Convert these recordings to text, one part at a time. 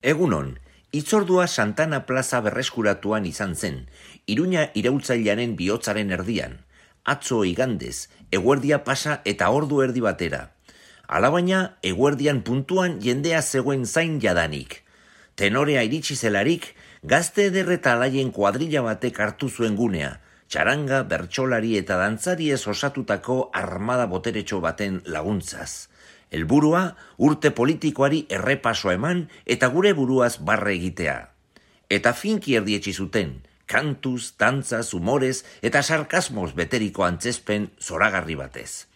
Egunon, hitzordua Santana Plaza berreskuratuan izan zen, Iruña iraultzailearen bihotzaren erdian, atzo igandez, eguerdia pasa eta ordu erdi batera. Alabaina, eguerdian puntuan jendea zegoen zain jadanik. Tenorea iritsi zelarik, gazte eder eta alaien kuadrilla batek hartu zuen gunea, txaranga, bertsolari eta dantzari ez osatutako armada boteretxo baten laguntzaz. Helburua, urte politikoari errepaso eman eta gure buruaz barre egitea. Eta finki erdietsi zuten, kantuz, dantzaz, humorez eta sarkasmoz beteriko antzezpen zoragarri batez.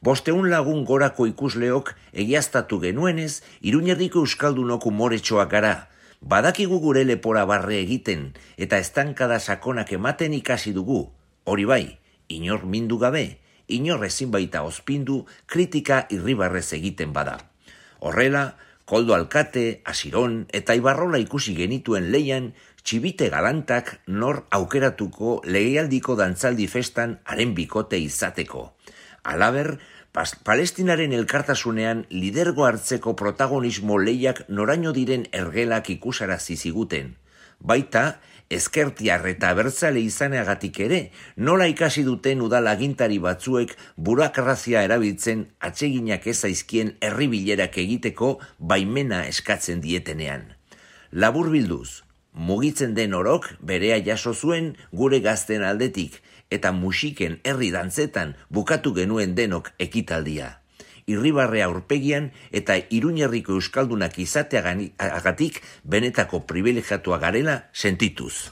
500 lagun gorako ikusleok egiaztatu genuenez, Iruñerriko euskaldunok umoretxoak gara. Badakigu gure lepora barre egiten eta estankada sakonak ematen ikasi dugu. Hori bai, inor mindu gabe, inor ezin baita ospindu kritika irribarrez egiten bada. Horrela, Koldo Alkate, Asiron eta Ibarrola ikusi genituen leian, txibite galantak nor aukeratuko legealdiko dantzaldi festan haren bikote izateko. Halaber, Palestinaren elkartasunean lidergo hartzeko protagonismo lehiak noraino diren ergelak ikusarazi ziguten. Baita, ezkertiar eta abertzale izaneagatik ere, nola ikasi duten udal agintari batzuek burokrazia erabiltzen atseginak ez zaizkien herribilerak egiteko baimena eskatzen dietenean. Laburbilduz, mugitzen den orok berea jaso zuen gure gazten aldetik, eta musiken herri dantzetan bukatu genuen denok ekitaldia. Irribarrea aurpegian eta Iruñerriko euskaldunak izateagatik benetako pribilegiatua garela sentituz.